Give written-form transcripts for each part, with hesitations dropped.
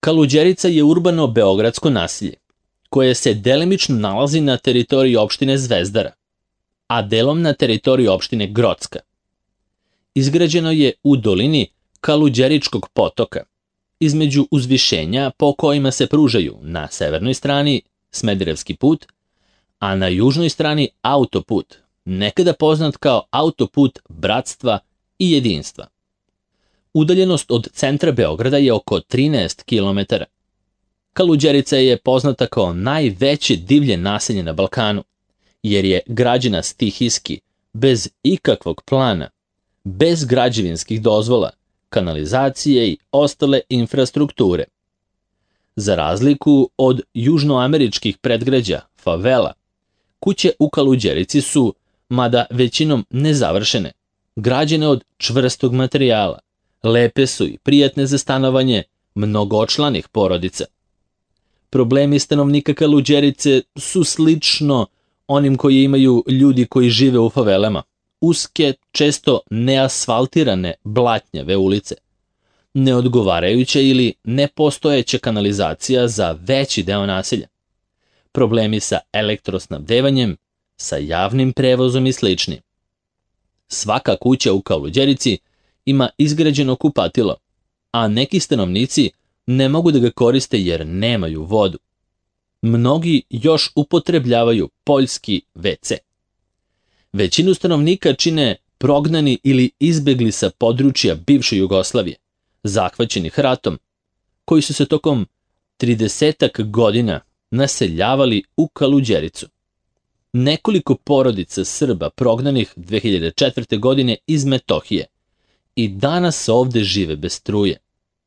Kaluđerica je urbano beogradsko naselje, koje se delimično nalazi na teritoriji opštine Zvezdara, a delom na teritoriji opštine Grocka. Izgrađeno je u dolini Kaluđeričkog potoka, između uzvišenja po kojima se pružaju na severnoj strani Smederevski put, a na južnoj strani autoput, nekada poznat kao autoput bratstva i jedinstva. Udaljenost od centra Beograda je oko 13 km. Kaluđerica je poznata kao najveće divlje naselje na Balkanu, jer je građena stihijski, bez ikakvog plana, bez građevinskih dozvola, kanalizacije i ostale infrastrukture. Za razliku od južnoameričkih predgrađa, favela, kuće u Kaluđerici su, mada većinom nezavršene, građene od čvrstog materijala, lepe su i prijatne za stanovanje mnogočlanih porodica. Problemi stanovnika Kaluđerice su slično onim koji imaju ljudi koji žive u favelama. Uske, često neasfaltirane blatnjave ulice, neodgovarajuća ili nepostojeća kanalizacija za veći deo naselja, problemi sa elektrosnabdevanjem, sa javnim prevozom i sl. Svaka kuća u Kaluđerici ima izgrađeno kupatilo, a neki stanovnici ne mogu da ga koriste jer nemaju vodu. Mnogi još upotrebljavaju poljski WC. Većinu stanovnika čine prognani ili izbegli sa područja bivše Jugoslavije, zahvaćenih ratom, koji su se tokom 30 godina naseljavali u Kaluđericu. Nekoliko porodica Srba prognanih 2004. godine iz Metohije i danas ovde žive bez struje,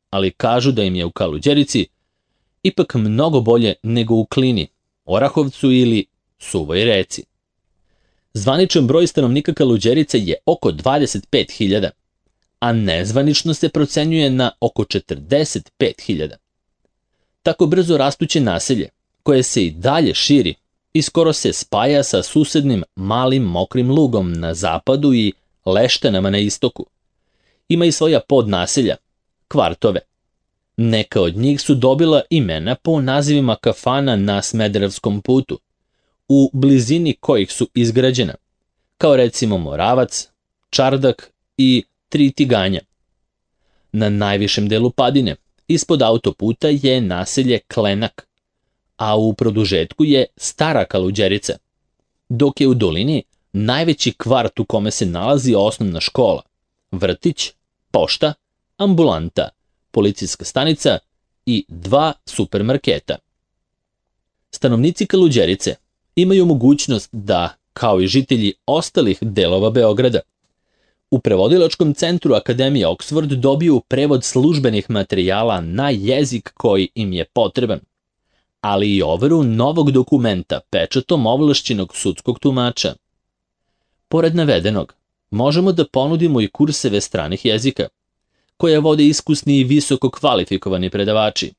ali kažu da im je u Kaluđerici ipak mnogo bolje nego u Klini, Orahovcu ili Suvoj Reci. Zvaničan broj stanovnika Kaluđerice je oko 25.000, a nezvanično se procenjuje na oko 45.000. Tako brzo rastuće naselje, koje se i dalje širi i skoro se spaja sa susednim malim mokrim lugom na zapadu i Leštanama na istoku, ima i svoja podnaselja, kvartove. Neka od njih su dobila imena po nazivima kafana na Smederevskom putu, u blizini kojih su izgrađena, kao recimo Moravac, Čardak i Tri Tiganja. Na najvišem delu padine, ispod autoputa je naselje Klenak, a u produžetku je Stara Kaluđerica, dok je u dolini najveći kvart u kome se nalazi osnovna škola, vrtić, pošta, ambulanta, policijska stanica i 2 supermarketa. Stanovnici Kaluđerice imaju mogućnost da, kao i žitelji ostalih delova Beograda, u prevodilačkom centru Akademije Oxford dobiju prevod službenih materijala na jezik koji im je potreban, ali i overu novog dokumenta pečatom ovlašćenog sudskog tumača. Pored navedenog, možemo da ponudimo i kurseve stranih jezika, koje vode iskusni i visoko kvalifikovani predavači,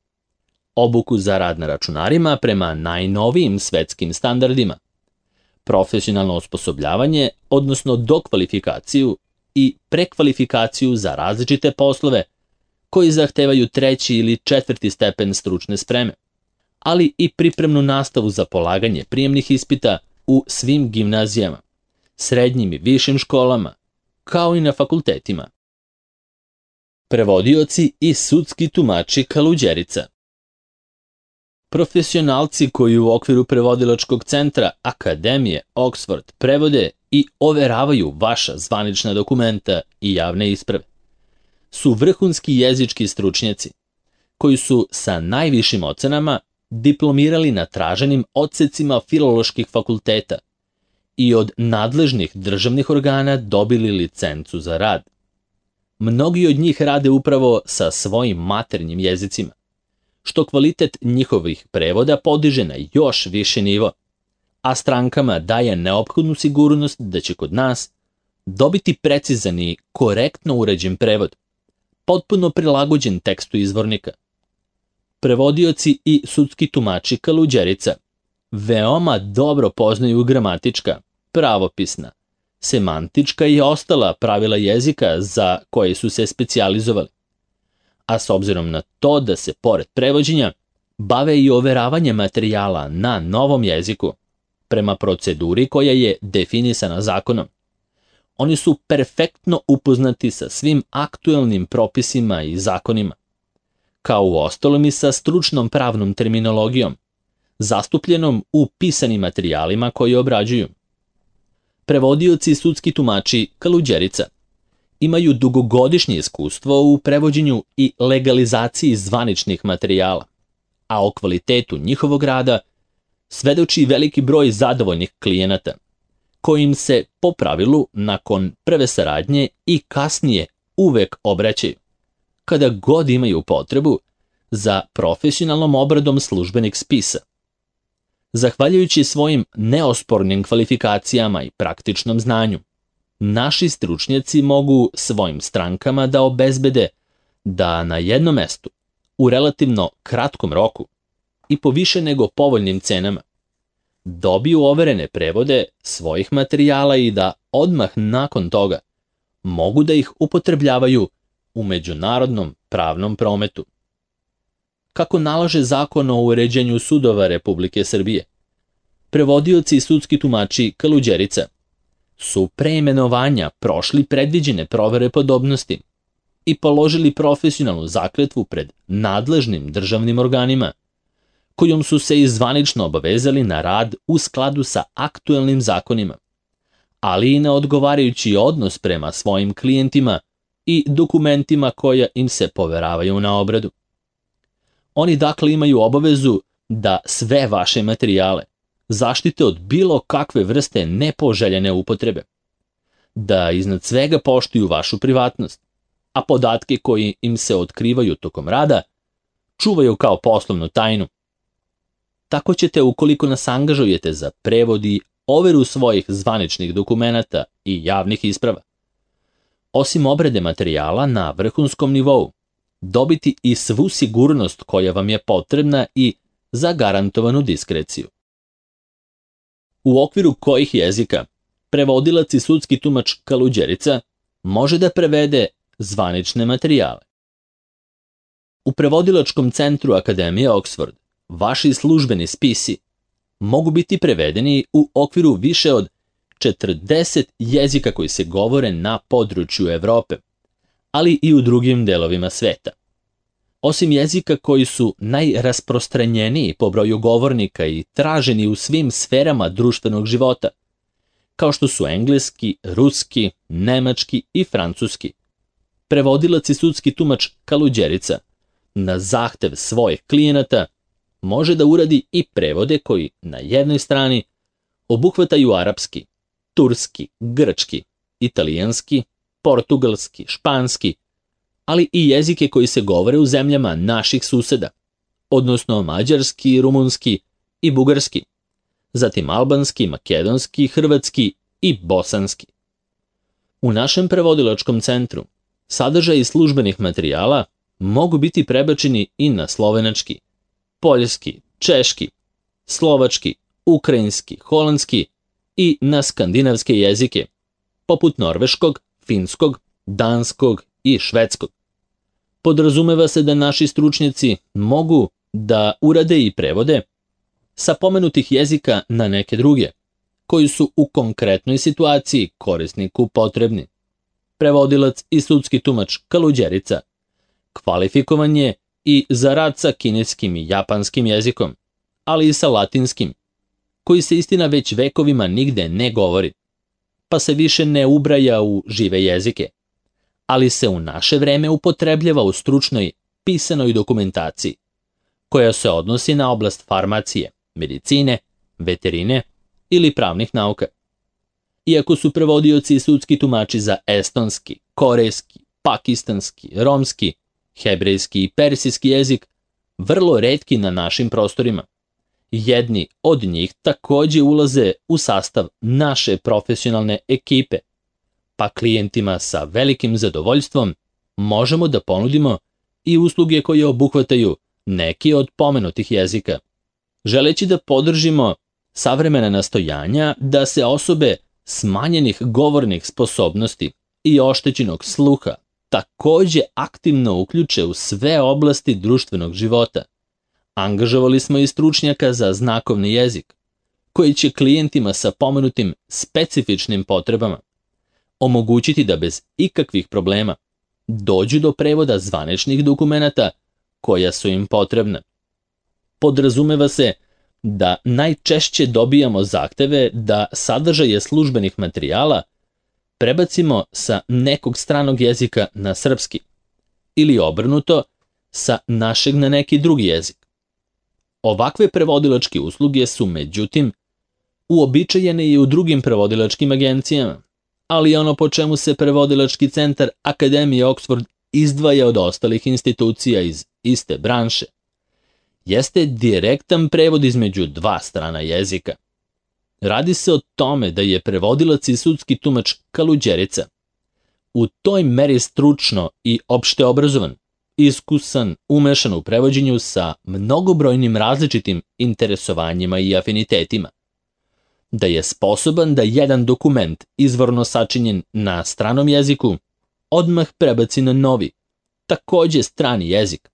obuku za rad na računarima prema najnovijim svetskim standardima, profesionalno osposobljavanje, odnosno dokvalifikaciju i prekvalifikaciju za različite poslove koji zahtevaju 3. ili 4. stepen stručne spreme, ali i pripremnu nastavu za polaganje prijemnih ispita u svim gimnazijama, srednjim i višim školama, kao i na fakultetima. Prevodioci i sudski tumači Kaluđerica. Profesionalci koji u okviru prevodilačkog centra Akademije Oxford prevode i overavaju vaša zvanična dokumenta i javne isprave su vrhunski jezički stručnjaci koji su sa najvišim ocenama diplomirali na traženim odsecima filoloških fakulteta i od nadležnih državnih organa dobili licencu za rad. Mnogi od njih rade upravo sa svojim maternjim jezicima, što kvalitet njihovih prevoda podiže na još viši nivo, a strankama daje neophodnu sigurnost da će kod nas dobiti precizan i korektno uređen prevod, potpuno prilagođen tekstu izvornika. Prevodioci i sudski tumači Kaluđerica veoma dobro poznaju gramatička, pravopisna, semantička i ostala pravila jezika za koje su se specijalizovali, a s obzirom na to da se pored prevođenja bave i overavanjem materijala na novom jeziku, prema proceduri koja je definisana zakonom. Oni su perfektno upoznati sa svim aktuelnim propisima i zakonima, kao uostalom i sa stručnom pravnom terminologijom, zastupljenom u pisanim materijalima koje obrađuju. Prevodioci i sudski tumači Kaluđerica imaju dugogodišnje iskustvo u prevođenju i legalizaciji zvaničnih materijala, a o kvalitetu njihovog rada svedoči veliki broj zadovoljnih klijenata, kojim se po pravilu nakon prve saradnje i kasnije uvek obraćaju, kada god imaju potrebu za profesionalnom obradom službenih spisa. Zahvaljujući svojim neospornim kvalifikacijama i praktičnom znanju, naši stručnjaci mogu svojim strankama da obezbede da na jednom mestu, u relativno kratkom roku i po više nego povoljnim cenama, dobiju overene prevode svojih materijala i da odmah nakon toga mogu da ih upotrebljavaju u međunarodnom pravnom prometu. Kako nalaže Zakon o uređenju sudova Republike Srbije, prevodioci i sudski tumači Kaluđerica su pre imenovanja prošli predviđene provere podobnosti i položili profesionalnu zakletvu pred nadležnim državnim organima, kojom su se i zvanično obavezali na rad u skladu sa aktuelnim zakonima, ali i na odgovarajući odnos prema svojim klijentima i dokumentima koja im se poveravaju na obradu. Oni dakle imaju obavezu da sve vaše materijale zaštite od bilo kakve vrste nepoželjene upotrebe, da iznad svega poštuju vašu privatnost, a podatke koji im se otkrivaju tokom rada čuvaju kao poslovnu tajnu. Tako ćete, ukoliko nas angažujete za prevod i overu svojih zvaničnih dokumenata i javnih isprava, osim obrade materijala na vrhunskom nivou, dobiti i svu sigurnost koja vam je potrebna i zagarantovanu diskreciju. U okviru kojih jezika prevodilac i sudski tumač Kaluđerica može da prevede zvanične materijale. U prevodilačkom centru Akademije Oxford vaši službeni spisi mogu biti prevedeni u okviru više od 40 jezika koji se govore na području Evrope, ali i u drugim delovima sveta. Osim jezika koji su najrasprostranjeniji po broju govornika i traženi u svim sferama društvenog života, kao što su engleski, ruski, nemački i francuski, prevodilac i sudski tumač Kaluđerica na zahtev svojih klijenata može da uradi i prevode koji na jednoj strani obuhvataju arapski, turski, grčki, italijanski, portugalski, španski, ali i jezike koji se govore u zemljama naših suseda, odnosno mađarski, rumunski i bugarski, zatim albanski, makedonski, hrvatski i bosanski. U našem prevodilačkom centru sadržaji službenih materijala mogu biti prebačeni i na slovenački, poljski, češki, slovački, ukrajinski, holandski i na skandinavske jezike, poput norveškog, finskog, danskog i švedskog. Podrazumeva se da naši stručnjaci mogu da urade i prevode sa pomenutih jezika na neke druge, koji su u konkretnoj situaciji korisniku potrebni. Prevodilac i sudski tumač Kaluđerica kvalifikovan je i za rad sa kineskim i japanskim jezikom, ali i sa latinskim, koji se istina već vekovima nigde ne govori, pa se više ne ubraja u žive jezike, ali se u naše vreme upotrebljava u stručnoj pisanoj dokumentaciji, koja se odnosi na oblast farmacije, medicine, veterine ili pravnih nauka. Iako su prevodioci i sudski tumači za estonski, korejski, pakistanski, romski, hebrejski i persijski jezik vrlo retki na našim prostorima, jedni od njih takođe ulaze u sastav naše profesionalne ekipe, pa klijentima sa velikim zadovoljstvom možemo da ponudimo i usluge koje obuhvataju neki od pomenutih jezika. Želeći da podržimo savremena nastojanja da se osobe smanjenih govornih sposobnosti i oštećenog sluha takođe aktivno uključe u sve oblasti društvenog života. Angažovali smo i stručnjaka za znakovni jezik, koji će klijentima sa pomenutim specifičnim potrebama omogućiti da bez ikakvih problema dođu do prevoda zvaničnih dokumenata koja su im potrebna. Podrazumeva se da najčešće dobijamo zahteve da sadržaje službenih materijala prebacimo sa nekog stranog jezika na srpski ili obrnuto sa našeg na neki drugi jezik. Ovakve prevodilačke usluge su, međutim, uobičajene i u drugim prevodilačkim agencijama, ali ono po čemu se prevodilački centar Akademije Oxford izdvaja od ostalih institucija iz iste branše jeste direktan prevod između dva strana jezika. Radi se o tome da je prevodilac i sudski tumač kaluđerica u toj meri stručno i opšte obrazovan, iskusan, umešan u prevođenju sa mnogobrojnim različitim interesovanjima i afinitetima, da je sposoban da jedan dokument izvorno sačinjen na stranom jeziku odmah prebaci na novi, takođe strani jezik,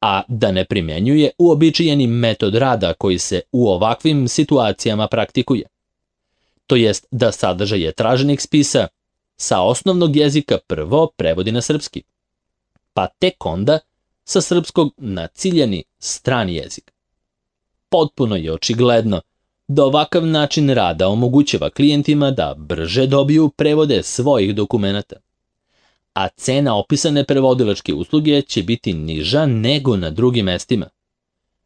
a da ne primjenjuje uobičajeni metod rada koji se u ovakvim situacijama praktikuje. To jest da sadržaje traženih spisa sa osnovnog jezika prvo prevodi na srpski, pa tek onda sa srpskog na ciljani strani jezik. Potpuno je očigledno da ovakav način rada omogućava klijentima da brže dobiju prevode svojih dokumenata, a cena opisane prevodilačke usluge će biti niža nego na drugim mestima.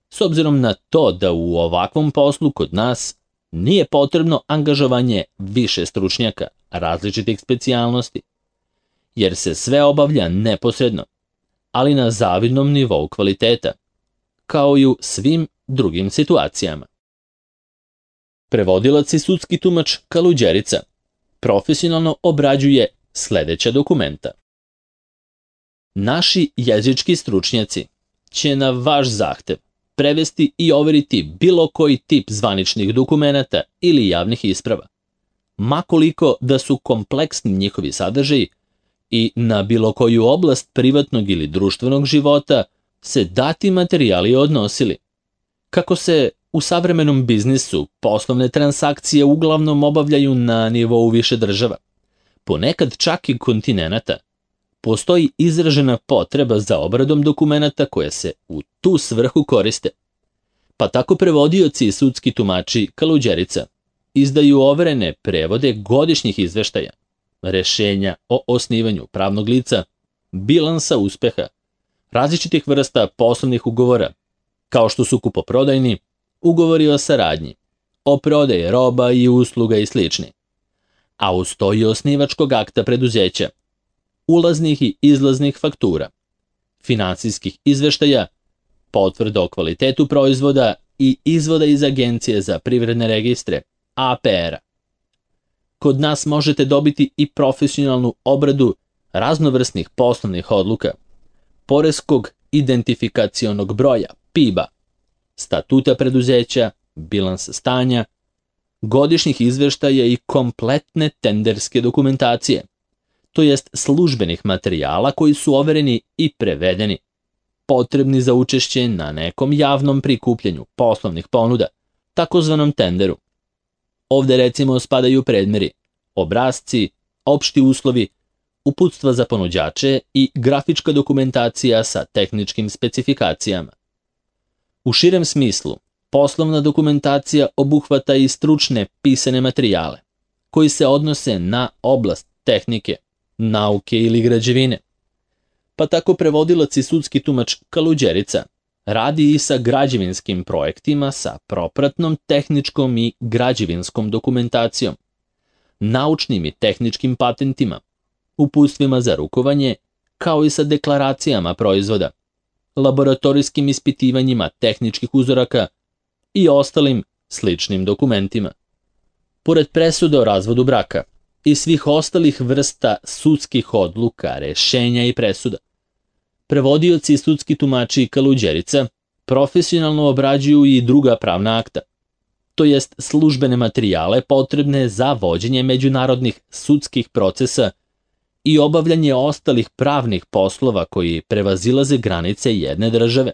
S obzirom na to da u ovakvom poslu kod nas nije potrebno angažovanje više stručnjaka različitih specijalnosti, jer se sve obavlja neposredno, ali na zavidnom nivou kvaliteta, kao i u svim drugim situacijama. Prevodilac i sudski tumač kaluđerica profesionalno obrađuje sledeća dokumenta. Naši jezički stručnjaci će na vaš zahtev prevesti i overiti bilo koji tip zvaničnih dokumenata ili javnih isprava, makoliko da su kompleksni njihovi sadržaji i na bilo koju oblast privatnog ili društvenog života se dati materijali odnosili. Kako se u savremenom biznisu poslovne transakcije uglavnom obavljaju na nivou više država, ponekad čak i kontinenata, postoji izražena potreba za obradom dokumenata koje se u tu svrhu koriste. Pa tako prevodioci i sudski tumači kaluđerica izdaju overene prevode godišnjih izveštaja, rešenja o osnivanju pravnog lica, bilansa uspeha, različitih vrsta poslovnih ugovora, kao što su kupoprodajni, ugovori o saradnji, o prodaji roba i usluga i slični, a uz to i osnivačkog akta preduzeća, ulaznih i izlaznih faktura, finansijskih izveštaja, potvrda o kvalitetu proizvoda i izvoda iz Agencije za privredne registre, APR-a. Kod nas možete dobiti i profesionalnu obradu raznovrsnih poslovnih odluka, poreskog identifikacionog broja, PIB-a, statuta preduzeća, bilans stanja, godišnjih izveštaja i kompletne tenderske dokumentacije, to jest službenih materijala koji su overeni i prevedeni, potrebni za učešće na nekom javnom prikupljanju poslovnih ponuda, takozvanom tenderu. Ovde recimo spadaju predmeri, obrasci, opšti uslovi, uputstva za ponuđače i grafička dokumentacija sa tehničkim specifikacijama. U širem smislu, poslovna dokumentacija obuhvata i stručne pisane materijale, koji se odnose na oblast tehnike, nauke ili građevine. Pa tako prevodilac i sudski tumač kaluđerica radi i sa građevinskim projektima sa propratnom tehničkom i građevinskom dokumentacijom, naučnim i tehničkim patentima, uputstvima za rukovanje, kao i sa deklaracijama proizvoda, laboratorijskim ispitivanjima tehničkih uzoraka i ostalim sličnim dokumentima. Pored presude o razvodu braka i svih ostalih vrsta sudskih odluka, rešenja i presuda, prevodioci i sudski tumači kaluđerica profesionalno obrađuju i druga pravna akta, to jest službene materijale potrebne za vođenje međunarodnih sudskih procesa i obavljanje ostalih pravnih poslova koji prevazilaze granice jedne države.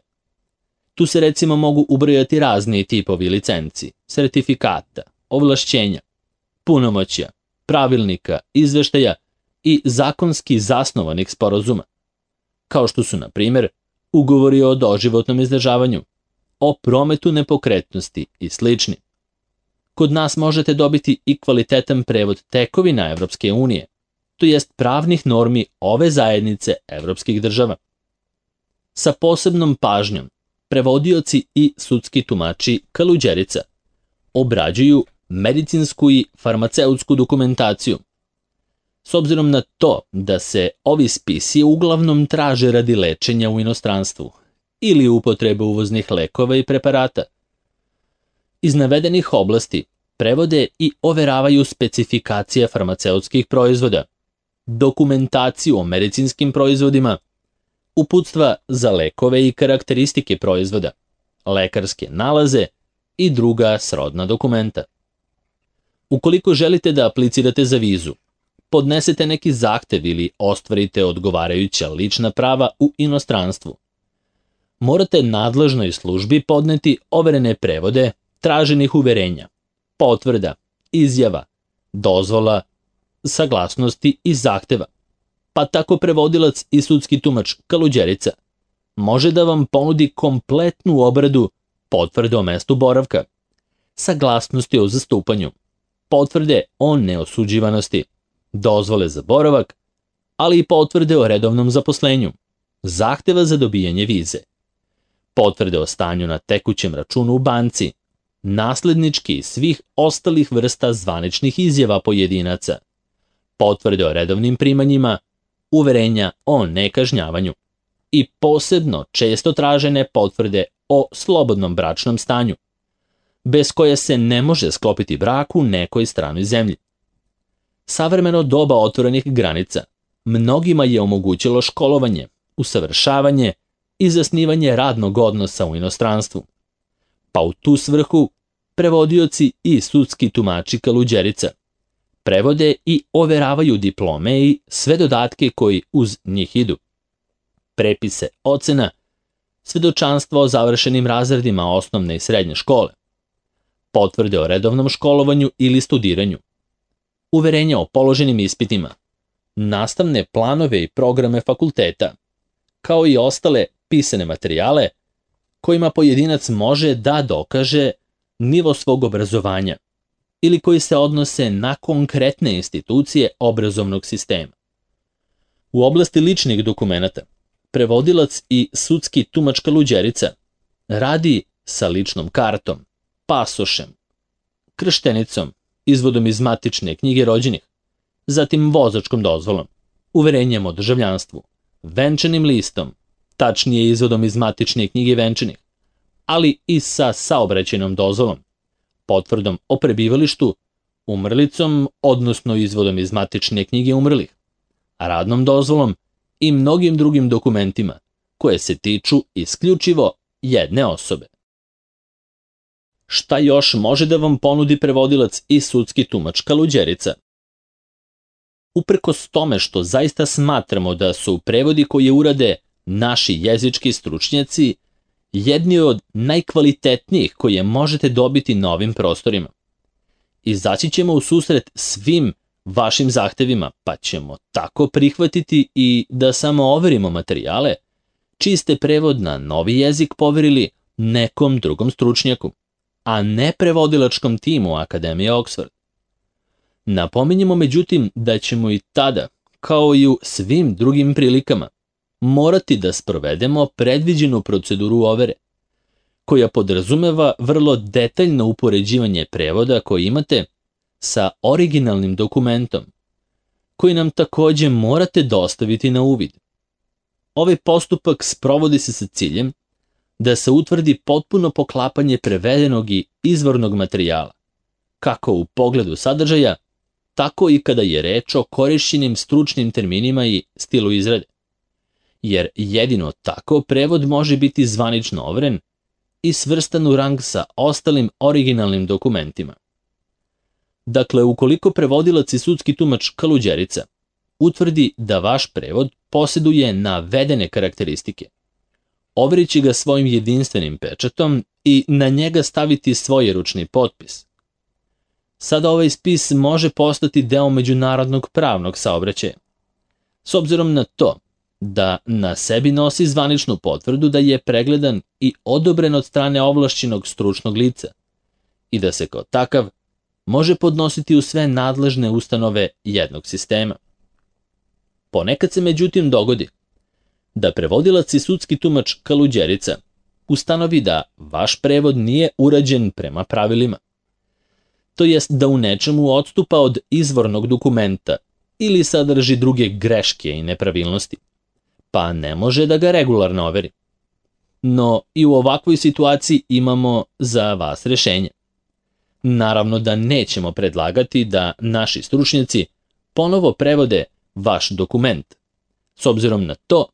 Tu se recimo mogu ubrojati razni tipovi licenci, sertifikata, ovlašćenja, punomoćja, pravilnika, izveštaja i zakonski zasnovanih sporazuma, kao što su, na primjer, ugovori o doživotnom izdržavanju, o prometu nepokretnosti i slični. Kod nas možete dobiti i kvalitetan prevod tekovina Evropske unije, to jest pravnih normi ove zajednice evropskih država. Sa posebnom pažnjom prevodioci i sudski tumači kaluđerica obrađuju medicinsku i farmaceutsku dokumentaciju. S obzirom na to da se ovi spisi uglavnom traže radi lečenja u inostranstvu ili upotrebe uvoznih lekova i preparata. Iz navedenih oblasti prevode i overavaju specifikacije farmaceutskih proizvoda, dokumentaciju o medicinskim proizvodima, uputstva za lekove i karakteristike proizvoda, lekarske nalaze i druga srodna dokumenta. Ukoliko želite da aplicirate za vizu, podnesete neki zahtev ili ostvarite odgovarajuća lična prava u inostranstvu, morate nadležnoj službi podneti overene prevode traženih uverenja, potvrda, izjava, dozvola, saglasnosti i zahteva. Pa tako prevodilac i sudski tumač kaluđerica može da vam ponudi kompletnu obradu potvrde o mestu boravka, saglasnosti o zastupanju, potvrde o neosuđivanosti, dozvole za boravak, ali i potvrde o redovnom zaposlenju, zahteva za dobijanje vize, potvrde o stanju na tekućem računu u banci, naslednički i svih ostalih vrsta zvaničnih izjava pojedinaca, potvrde o redovnim primanjima, uverenja o nekažnjavanju i posebno često tražene potvrde o slobodnom bračnom stanju, bez koje se ne može sklopiti brak u nekoj stranoj zemlji. Savremeno doba otvorenih granica mnogima je omogućilo školovanje, usavršavanje i zasnivanje radnog odnosa u inostranstvu. Pa u tu svrhu prevodioci i sudski tumači kaluđerica prevode i overavaju diplome i sve dodatke koji uz njih idu, prepise ocena, svedočanstva o završenim razredima osnovne i srednje škole, potvrde o redovnom školovanju ili studiranju, uverenja o položenim ispitima, nastavne planove i programe fakulteta, kao i ostale pisane materijale kojima pojedinac može da dokaže nivo svog obrazovanja ili koji se odnose na konkretne institucije obrazovnog sistema. U oblasti ličnih dokumenata, prevodilac i sudski tumač kaluđerica radi sa ličnom kartom, pasošem, krštenicom, izvodom iz matične knjige rođenih, zatim vozačkom dozvolom, uverenjem o državljanstvu, venčanim listom, tačnije izvodom iz matične knjige venčanih, ali i sa saobraćajnom dozvolom, potvrdom o prebivalištu, umrlicom, odnosno izvodom iz matične knjige umrlih, radnom dozvolom i mnogim drugim dokumentima koje se tiču isključivo jedne osobe. Šta još može da vam ponudi prevodilac i sudski tumač kaluđerica? Uprkos tome što zaista smatramo da su prevodi koje urade naši jezički stručnjaci jedni od najkvalitetnijih koje možete dobiti na ovim prostorima. Izaći ćemo u susret svim vašim zahtevima, pa ćemo tako prihvatiti i da samo overimo materijale, čiji ste prevod na novi jezik poverili nekom drugom stručnjaku, a ne prevodilačkom timu Akademije Oxford. Napominjemo međutim da ćemo i tada, kao i u svim drugim prilikama, morati da sprovedemo predviđenu proceduru overe, koja podrazumeva vrlo detaljno upoređivanje prevoda koji imate sa originalnim dokumentom, koji nam takođe morate dostaviti na uvid. Ovaj postupak sprovodi se sa ciljem da se utvrdi potpuno poklapanje prevedenog i izvornog materijala, kako u pogledu sadržaja, tako i kada je reč o korišćenim stručnim terminima i stilu izrade. Jer jedino tako prevod može biti zvanično overen i svrstan u rang sa ostalim originalnim dokumentima. Dakle, ukoliko prevodilac i sudski tumač kaluđerica utvrdi da vaš prevod posjeduje navedene karakteristike. Overit će ga svojim jedinstvenim pečatom i na njega staviti svoj ručni potpis. Sada ovaj spis može postati deo međunarodnog pravnog saobraćaja. S obzirom na to da na sebi nosi zvaničnu potvrdu da je pregledan i odobren od strane ovlašćenog stručnog lica i da se kao takav može podnositi u sve nadležne ustanove jednog sistema. Ponekad se međutim dogodi da prevodilac i sudski tumač kaluđerica ustanovi da vaš prevod nije urađen prema pravilima, to jest da u nečemu odstupa od izvornog dokumenta ili sadrži druge greške i nepravilnosti, pa ne može da ga regularno overi. No i u ovakvoj situaciji imamo za vas rešenje. Naravno da nećemo predlagati da naši stručnjaci ponovo prevode vaš dokument, s obzirom na to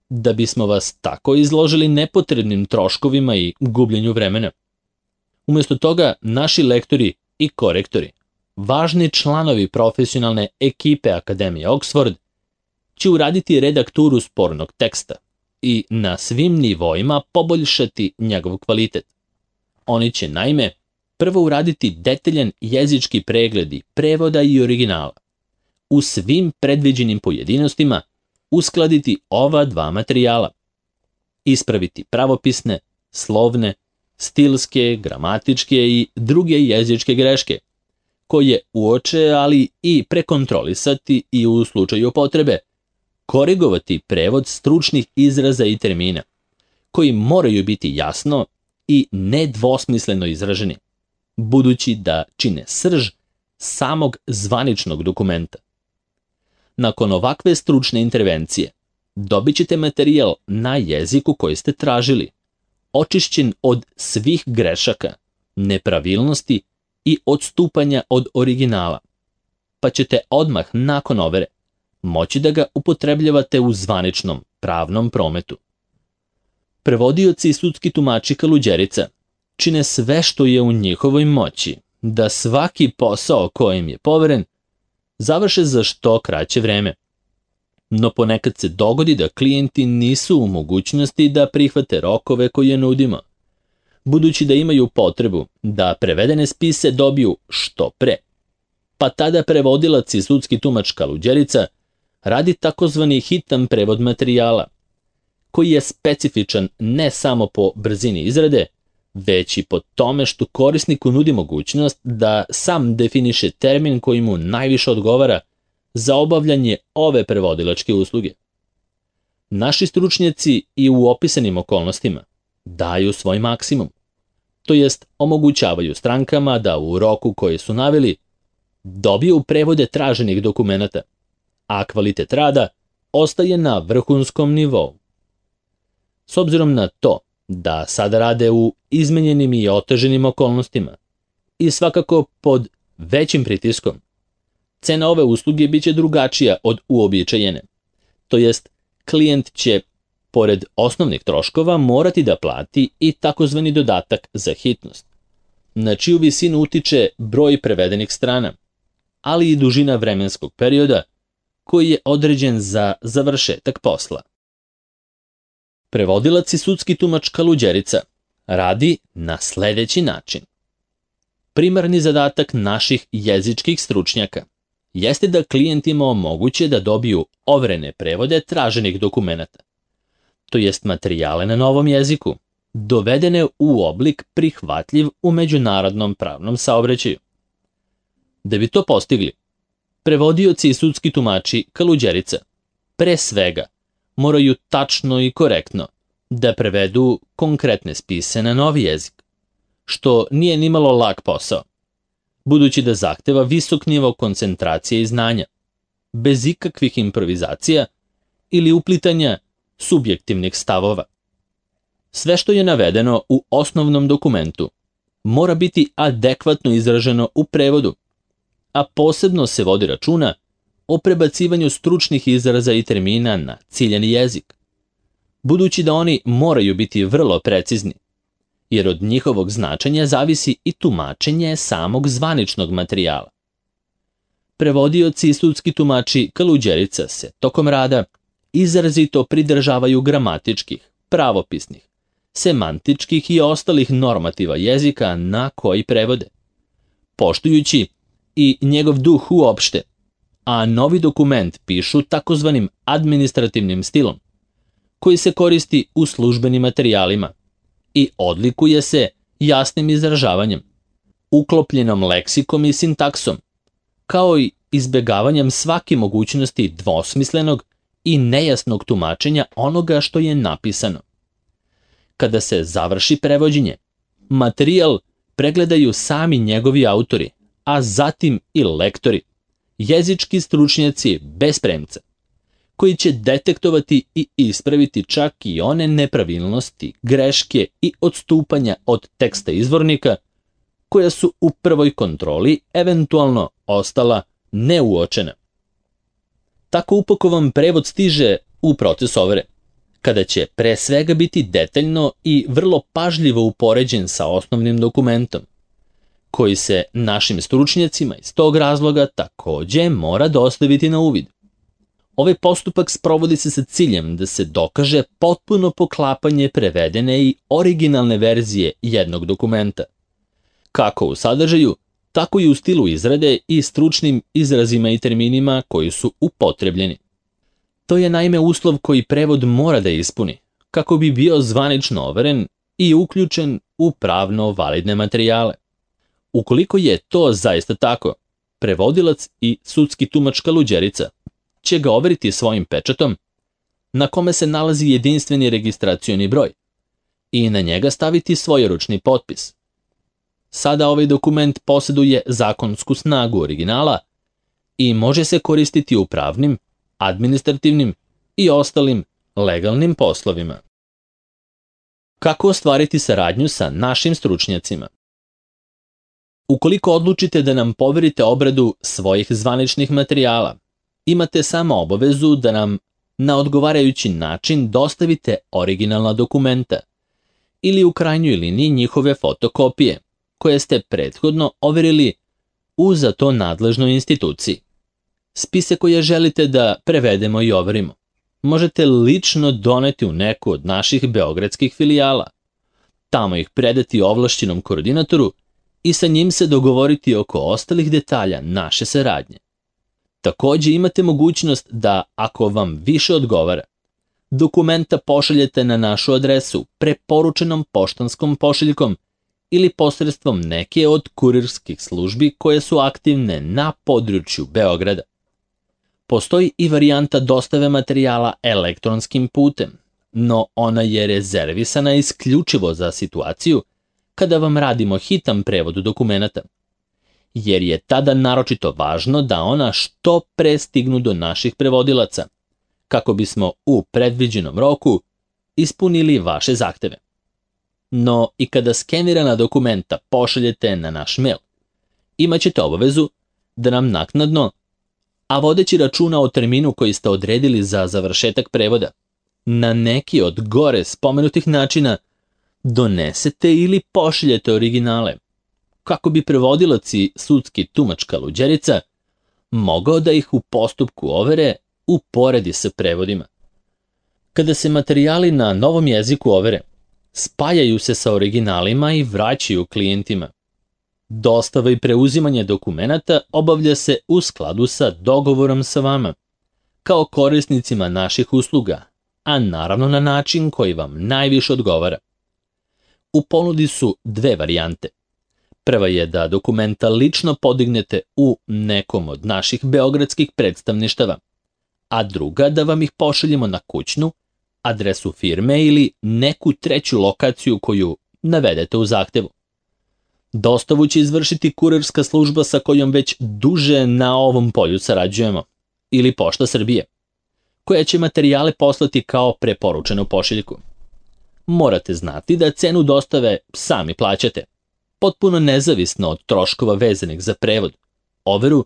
da bismo vas tako izložili nepotrebnim troškovima i gubljenju vremena. Umjesto toga, naši lektori i korektori, važni članovi profesionalne ekipe Akademije Oxford, će uraditi redakturu spornog teksta i na svim nivoima poboljšati njegov kvalitet. Oni će naime prvo uraditi detaljan jezički pregled prevoda i originala. U svim predviđenim pojedinostima uskladiti ova dva materijala. Ispraviti pravopisne, slovne, stilske, gramatičke i druge jezičke greške, koje uoče, ali i prekontrolisati i u slučaju potrebe korigovati prevod stručnih izraza i termina, koji moraju biti jasno i nedvosmisleno izraženi, budući da čine srž samog zvaničnog dokumenta. Nakon ovakve stručne intervencije, dobit ćete materijal na jeziku koji ste tražili, očišćen od svih grešaka, nepravilnosti i odstupanja od originala, pa ćete odmah nakon overe moći da ga upotrebljavate u zvaničnom pravnom prometu. Prevodioci i sudski tumači kaluđerica čine sve što je u njihovoj moći da svaki posao kojim je poveren završe za što kraće vreme. No ponekad se dogodi da klijenti nisu u mogućnosti da prihvate rokove koje nudimo, budući da imaju potrebu da prevedene spise dobiju što pre. Pa tada prevodilac i sudski tumač kaluđerica radi takozvani hitan prevod materijala, koji je specifičan ne samo po brzini izrade, već i po tome što korisniku nudi mogućnost da sam definiše termin koji mu najviše odgovara za obavljanje ove prevodilačke usluge. Naši stručnjaci i u opisanim okolnostima daju svoj maksimum, to jest omogućavaju strankama da u roku koji su naveli dobiju prevode traženih dokumenata, a kvalitet rada ostaje na vrhunskom nivou. S obzirom na to da sada rade u izmenjenim i oteženim okolnostima i svakako pod većim pritiskom, cena ove usluge biće drugačija od uobičajene, to jest klijent će, pored osnovnih troškova, morati da plati i takozvani dodatak za hitnost, na čiju visinu utiče broj prevedenih strana, ali i dužina vremenskog perioda koji je određen za završetak posla. Prevodilac i sudski tumač kaluđerica radi na sledeći način. Primarni zadatak naših jezičkih stručnjaka jeste da klijentima omoguće da dobiju overene prevode traženih dokumenata, to jest materijale na novom jeziku, dovedene u oblik prihvatljiv u međunarodnom pravnom saobraćaju. Da bi to postigli, prevodioci i sudski tumači kaluđerica pre svega moraju tačno i korektno da prevedu konkretne spise na novi jezik, što nije nimalo lak posao, budući da zahteva visok nivo koncentracije i znanja, bez ikakvih improvizacija ili uplitanja subjektivnih stavova. Sve što je navedeno u osnovnom dokumentu mora biti adekvatno izraženo u prevodu, a posebno se vodi računa o prebacivanju stručnih izraza i termina na ciljani jezik, budući da oni moraju biti vrlo precizni, jer od njihovog značenja zavisi i tumačenje samog zvaničnog materijala. Prevodioci i sudski tumači Kaluđerica se tokom rada izrazito pridržavaju gramatičkih, pravopisnih, semantičkih i ostalih normativa jezika na koji prevode, poštujući i njegov duh uopšte, a novi dokument pišu takozvanim administrativnim stilom, koji se koristi u službenim materijalima i odlikuje se jasnim izražavanjem, uklopljenom leksikom i sintaksom, kao i izbegavanjem svake mogućnosti dvosmislenog i nejasnog tumačenja onoga što je napisano. Kada se završi prevođenje, materijal pregledaju sami njegovi autori, a zatim i lektori, jezički stručnjaci bez premca, koji će detektovati i ispraviti čak i one nepravilnosti, greške i odstupanja od teksta izvornika koja su u prvoj kontroli eventualno ostala neuočena. Tako upakovan prevod stiže u proces overe, kada će pre svega biti detaljno i vrlo pažljivo upoređen sa osnovnim dokumentom, koji se našim stručnjacima iz tog razloga takođe mora dostaviti na uvid. Ovaj postupak sprovodi se sa ciljem da se dokaže potpuno poklapanje prevedene i originalne verzije jednog dokumenta, kako u sadržaju, tako i u stilu izrade i stručnim izrazima i terminima koji su upotrebljeni. To je naime uslov koji prevod mora da ispuni, kako bi bio zvanično overen i uključen u pravno validne materijale. Ukoliko je to zaista tako, prevodilac i sudski tumač Kaluđerica će ga overiti svojim pečatom, na kome se nalazi jedinstveni registracioni broj, i na njega staviti svojeručni potpis. Sada ovaj dokument posjeduje zakonsku snagu originala i može se koristiti u pravnim, administrativnim i ostalim legalnim poslovima. Kako ostvariti saradnju sa našim stručnjacima? Ukoliko odlučite da nam poverite obradu svojih zvaničnih materijala, imate samo obavezu da nam na odgovarajući način dostavite originalna dokumenta ili u krajnjoj liniji njihove fotokopije, koje ste prethodno overili u za to nadležnoj instituciji. Spise koje želite da prevedemo i overimo možete lično doneti u neku od naših beogradskih filijala, tamo ih predati ovlašćenom koordinatoru i sa njim se dogovoriti oko ostalih detalja naše saradnje. Takođe imate mogućnost da, ako vam više odgovara, dokumenta pošaljete na našu adresu preporučenom poštanskom pošiljkom ili posredstvom neke od kurirskih službi koje su aktivne na području Beograda. Postoji i varijanta dostave materijala elektronskim putem, no ona je rezervisana isključivo za situaciju kada vam radimo hitan prevod dokumenata, jer je tada naročito važno da ona što pre stignu do naših prevodilaca, kako bismo u predviđenom roku ispunili vaše zahteve. No i kada skenirana dokumenta pošaljete na naš mail, imaćete obavezu da nam naknadno, a vodeći računa o terminu koji ste odredili za završetak prevoda, na neki od gore spomenutih načina donesete ili pošaljete originale, kako bi prevodilac i sudski tumač Kaluđerica mogao da ih u postupku overe uporedi sa prevodima. Kada se materijali na novom jeziku overe, spajaju se sa originalima i vraćaju klijentima. Dostava i preuzimanje dokumenata obavlja se u skladu sa dogovorom sa vama, kao korisnicima naših usluga, a naravno na način koji vam najviše odgovara. U ponudi su dve varijante. Prva je da dokumenta lično podignete u nekom od naših beogradskih predstavništava, a druga da vam ih pošaljemo na kućnu, adresu firme ili neku treću lokaciju koju navedete u zahtevu. Dostavu će izvršiti kurirska služba sa kojom već duže na ovom polju sarađujemo, ili Pošta Srbije, koja će materijale poslati kao preporučenu pošiljku. Morate znati da cenu dostave sami plaćate, potpuno nezavisno od troškova vezanih za prevod, overu,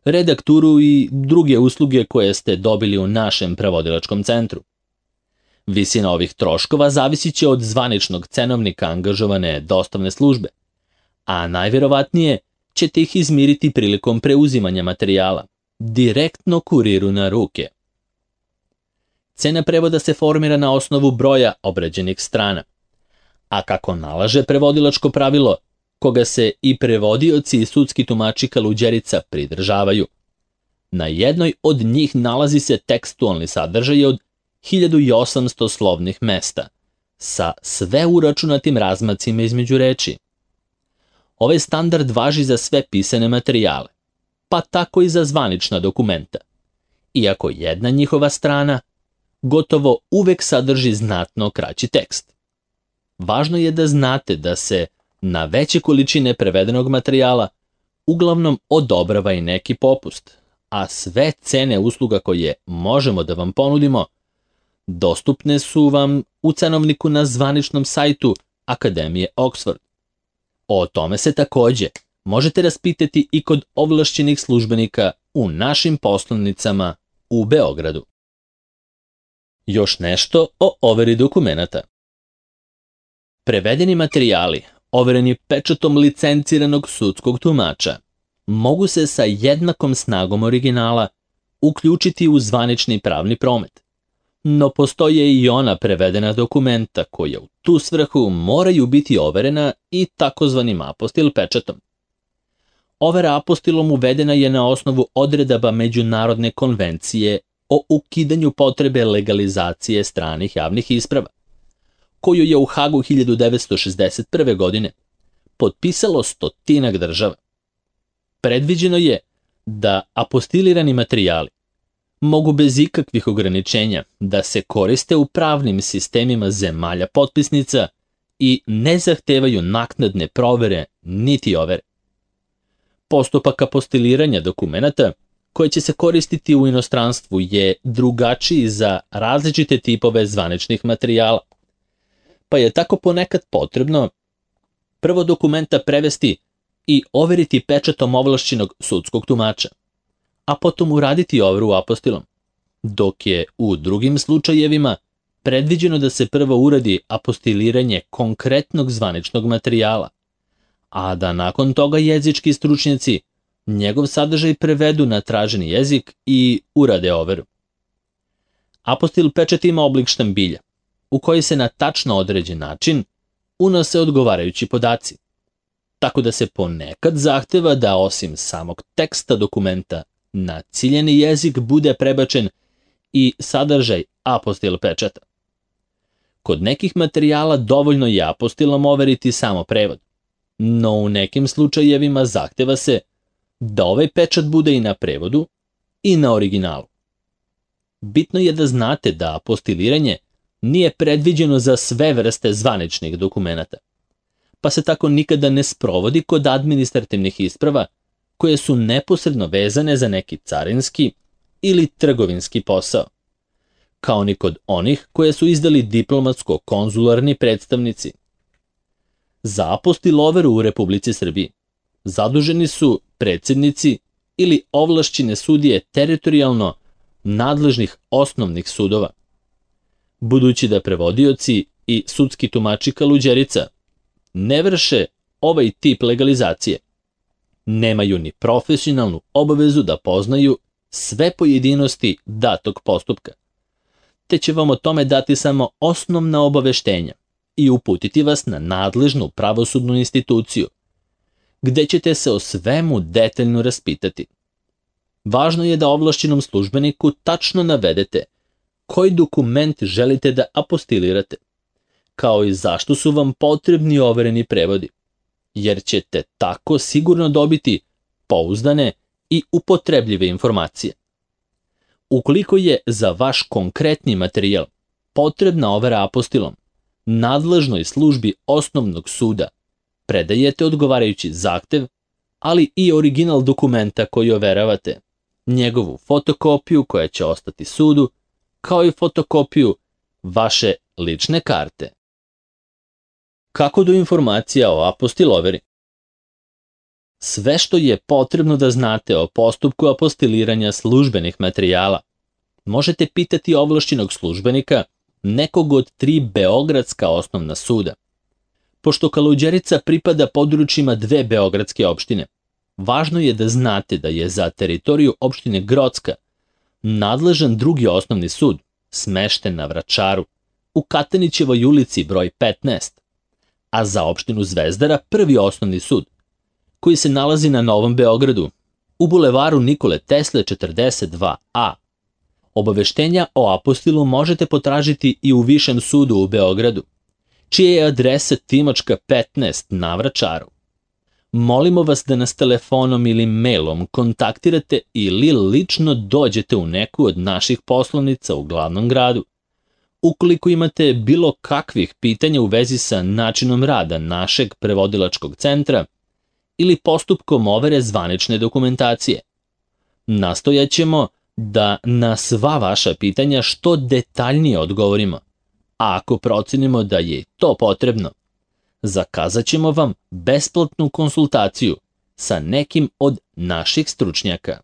redakturu i druge usluge koje ste dobili u našem prevodilačkom centru. Visina ovih troškova zavisit će od zvaničnog cenovnika angažovane dostavne službe, a najverovatnije ćete ih izmiriti prilikom preuzimanja materijala, direktno kuriru na ruke. Cena prevoda se formira na osnovu broja obrađenih strana, a kako nalaže prevodilačko pravilo, koga se i prevodioci i sudski tumači Kaluđerica pridržavaju. Na jednoj od njih nalazi se tekstualni sadržaj od 1800 slovnih mesta, sa sve uračunatim razmacima između reči. Ovaj standard važi za sve pisane materijale, pa tako i za zvanična dokumenta, iako jedna njihova strana gotovo uvek sadrži znatno kraći tekst. Važno je da znate da se na veće količine prevedenog materijala uglavnom odobrava i neki popust, a sve cene usluga koje možemo da vam ponudimo dostupne su vam u cenovniku na zvaničnom sajtu Akademije Oxford. O tome se takođe možete raspitati i kod ovlašćenih službenika u našim poslovnicama u Beogradu. Još nešto o overi dokumenata. Prevedeni materijali, overeni pečatom licenciranog sudskog tumača, mogu se sa jednakom snagom originala uključiti u zvanični pravni promet, no postoje i ona prevedena dokumenta koja u tu svrhu moraju biti overena i takozvanim apostil pečatom. Overa apostilom uvedena je na osnovu odredaba Međunarodne konvencije o ukidanju potrebe legalizacije stranih javnih isprava, koju je u Hagu 1961. godine potpisalo 100 država. Predviđeno je da apostilirani materijali mogu bez ikakvih ograničenja da se koriste u pravnim sistemima zemalja potpisnica i ne zahtevaju naknadne provere niti overe. Postupak apostiliranja dokumenata koji će se koristiti u inostranstvu je drugačiji za različite tipove zvaničnih materijala, pa je tako ponekad potrebno prvo dokumenta prevesti i overiti pečatom ovlašćenog sudskog tumača, a potom uraditi overu apostilom, dok je u drugim slučajevima predviđeno da se prvo uradi apostiliranje konkretnog zvaničnog materijala, a da nakon toga jezički stručnjaci njegov sadržaj prevedu na traženi jezik i urade overu. Apostil pečat ima oblik štambilja, u koji se na tačno određen način unose odgovarajući podaci, tako da se ponekad zahteva da osim samog teksta dokumenta na ciljeni jezik bude prebačen i sadržaj apostil pečata. Kod nekih materijala dovoljno je apostilom overiti samo prevod, no u nekim slučajevima zahteva se da ovaj pečat bude i na prevodu i na originalu. Bitno je da znate da apostiliranje nije predviđeno za sve vrste zvaničnih dokumenata, pa se tako nikada ne sprovodi kod administrativnih isprava koje su neposredno vezane za neki carinski ili trgovinski posao, kao ni kod onih koje su izdali diplomatsko-konzularni predstavnici. Za apostil overu u Republici Srbiji zaduženi su predsednici ili ovlašćene sudije teritorijalno nadležnih osnovnih sudova, budući da prevodioci i sudski tumači Kaluđerica ne vrše ovaj tip legalizacije, nemaju ni profesionalnu obavezu da poznaju sve pojedinosti datog postupka, te će vam o tome dati samo osnovna obaveštenja i uputiti vas na nadležnu pravosudnu instituciju, gde ćete se o svemu detaljno raspitati. Važno je da ovlašćenom službeniku tačno navedete koji dokument želite da apostilirate, kao i zašto su vam potrebni overeni prevodi, jer ćete tako sigurno dobiti pouzdane i upotrebljive informacije. Ukoliko je za vaš konkretni materijal potrebna overa apostilom, nadležnoj službi osnovnog suda predajete odgovarajući zahtev, ali i original dokumenta koji overavate, njegovu fotokopiju koja će ostati sudu, kao i fotokopiju vaše lične karte. Kako do informacija o apostil overi? Sve što je potrebno da znate o postupku apostiliranja službenih materijala možete pitati ovlašćenog službenika nekog od 3 beogradska osnovna suda. Pošto Kaluđerica pripada područjima 2 beogradske opštine, važno je da znate da je za teritoriju opštine Grocka nadležan drugi osnovni sud, smešten na Vračaru, u Katanićevoj ulici broj 15, a za opštinu Zvezdara prvi osnovni sud, koji se nalazi na Novom Beogradu, u bulevaru Nikole Tesle 42A. Obaveštenja o apostilu možete potražiti i u Višem sudu u Beogradu, čija je adresa Timočka 15 na Vračaru. Molimo vas da nas telefonom ili mailom kontaktirate ili lično dođete u neku od naših poslovnica u glavnom gradu. Ukoliko imate bilo kakvih pitanja u vezi sa načinom rada našeg prevodilačkog centra ili postupkom overe zvanične dokumentacije, nastojaćemo da na sva vaša pitanja što detaljnije odgovorimo, a ako procenimo da je to potrebno, zakazat ćemo vam besplatnu konsultaciju sa nekim od naših stručnjaka.